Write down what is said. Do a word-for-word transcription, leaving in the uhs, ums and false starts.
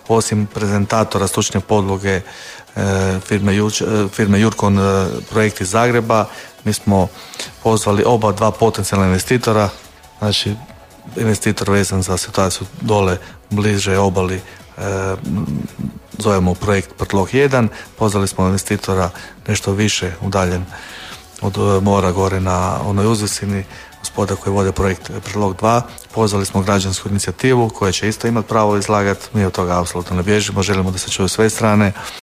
osim prezentatora stručne podloge firme, Juč, firme Jurkon projekt iz Zagreba, mi smo pozvali oba dva potencijalna investitora, znači investitor vezan za situaciju dole bliže obali, e, zovemo projekt Prtlog jedan, pozvali smo investitora nešto više udaljen od mora gore na onoj uzvisini, gospoda koji vode projekt Prtlog dva, pozvali smo građansku inicijativu koja će isto imati pravo izlagati, mi od toga apsolutno ne bježimo, želimo da se čuju sve strane.